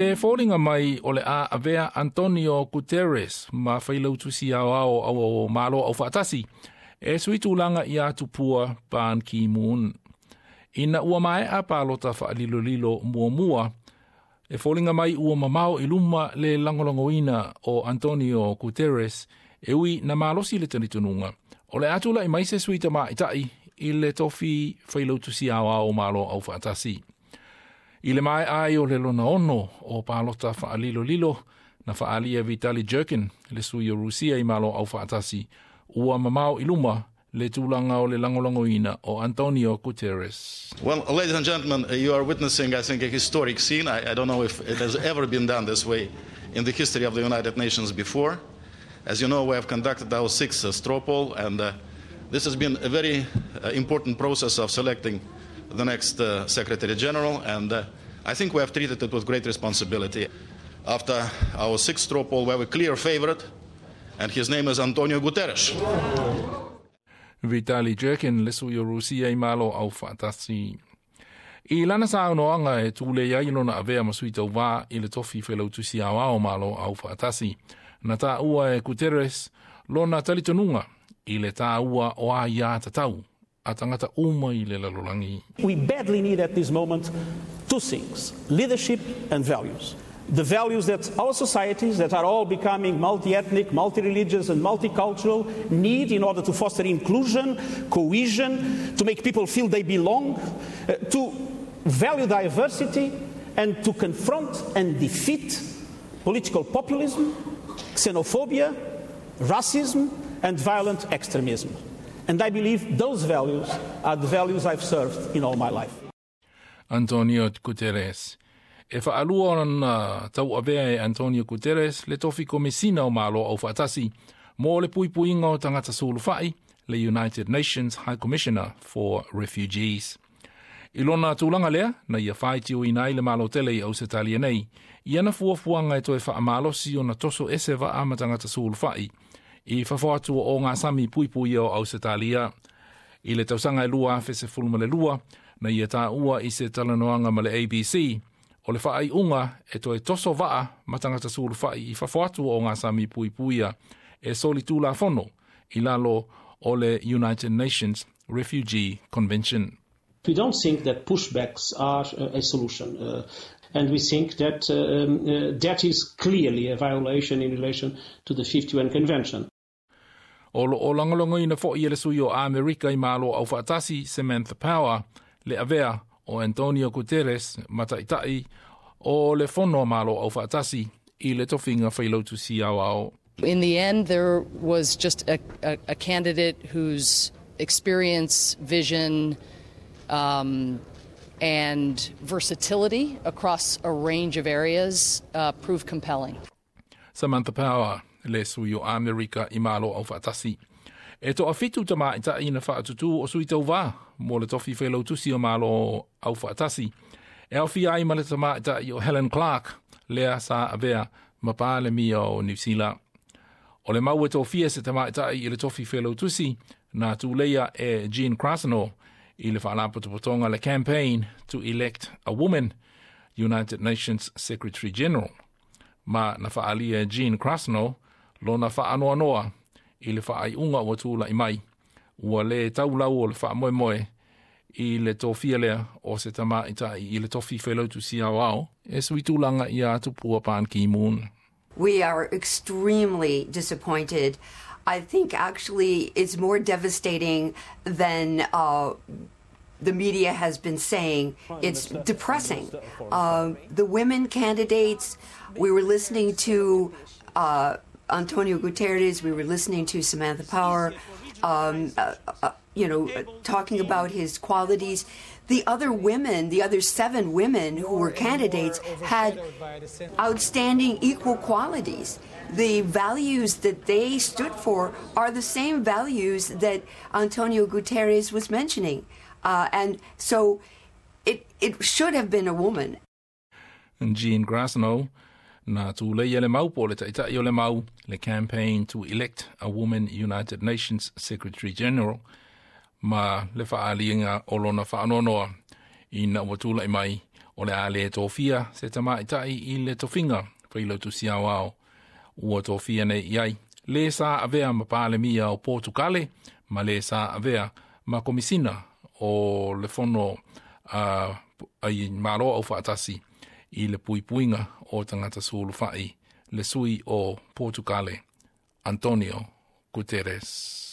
E foliga mai o le a avea Antonio Guterres ma Failautusi Aoao o Malo Aufaatasi e sui tulaga ia Tupua Ban Ki-moon. Ina ua maea palota faalilolilo muamua, e foliga mai ua mamao i luma le lagolagoina o Antonio Guterres, e ui na malosi le talitonuga o le a tula'i mai se sui tamaʻitaʻi i le tofi Failautusi Aoao o Malo Aufaatasi. I le maea ai o le lona ono o palota faalilolilo, na faaalia Vitali Churkin, le sui o Rusia i Malo Aufaatasi, ua mamao i luma le tulaga o le lagolagoina o Antonio Guterres. Well, ladies and gentlemen, you are witnessing, I think, a historic scene. I don't know if it has ever been done this way in the history of the United Nations before. As you know, we have conducted our sixth straw poll, and this has been a very important process of selecting the next Secretary General, and I think we have treated it with great responsibility. After our sixth straw poll, we have a clear favorite, and his name is Antonio Guterres. Vitali Churkin, le sui o Rusia i Malo Aufaatasi. I lana saunoaga e tulei ai lona avea ma sui tauvā i le tofi Failautusi Aoao Malo Aufaatasi, na taua e Guterres lona talitonuga i le tāua o aiā tatau a tagata uma i le lalolagi. We badly need at this moment two things: leadership and values. The values that our societies, that are all becoming multi ethnic, multi religious, and multicultural, need in order to foster inclusion, cohesion, to make people feel they belong, to value diversity, and to confront and defeat political populism, xenophobia, racism, and violent extremism. And I believe those values are the values I've served in all my life. Antonio Guterres. E faalua ona tauavea e Antonio Guterres le tofi Komesina o Malo Aufaatasi mo le Puipuiga o Tagata Sulufai, le United Nations High Commissioner for Refugees. I lona tulaga lea, na ia faitioina ai le Malo tele i Ausetalia nei i ana fuafuaga e toe faamalosi ona toso ese vaa ma tagata sulufai i fafo atu o gasami puipuia o Ausetalia. I le tausaga e 2012, na ia taua i se talanoaga ma le ABC, o le faaiuga e toe toso vaa ma tagata sulufai i fafo atu o gasami puipuia e solitulafono i lalo o le United Nations Refugee Convention. We don't think that pushbacks are a solution. And we think that that is clearly a violation in relation to the 51 Convention. O loo lagolagoina foʻi e le sui o Amerika i Malo Aufaatasi Samantha Power le avea o Antonio Guterres ma taʻitaʻi o le Fono a Malo Aufaatasi i le tofiga Failautusi Aoao. In the end, there was just a candidate whose experience, vision, and versatility across a range of areas proved compelling. Samantha Power, le sui o Amerika i Malo Aufaatasi. E toafitu tamaʻitaʻi na faatutū o sui tauvā mo le tofi Failautusi o Malo Aufaatasi. E aofia ai ma le tamaʻitaʻi o Helen Clark, lea sa avea ma Palemia o Niu Sila. O le mau e tofia se tamaʻitaʻi i le tofi Failautusi na tuleia e Jean Krasno i le faalapotopotoga le Campaign to Elect a Woman United Nations Secretary General. Ma na faaalia e Jean Krasno lona faanoanoa i le faaiuga ua tulaʻi mai ua lē taulau o le faamoemoe i le tofia lea o se tamaʻitaʻi i le tofi Failautusi Aoao e sui tulaga ia Tupua Ban Ki-moon. We are extremely disappointed. I think actually it's more devastating than the media has been saying. It's depressing. The women candidates, we were listening to Antonio Guterres, we were listening to Samantha Power, talking about his qualities. The other women, the other seven women who were candidates, had outstanding equal qualities. The values that they stood for are the same values that Antonio Guterres was mentioning. And so it should have been a woman. Jean Krasno, na tuleia le mau po le taʻitaʻi o le mau le Campaign to Elect a Woman United Nations Secretary General ma le faaliga o lona faanoanoa ina ua tulaʻi mai O le a le tofia se tamaitai i le tofiga failautusi aoao ua tofia nei i ai le sa avea ma Palemia o Portucale ma le sa avea ma Komisina o le Fono ai Malo Aufaatasi i le puipuiga o tagata sulufai, le sui o Portucale, Antonio Guterres.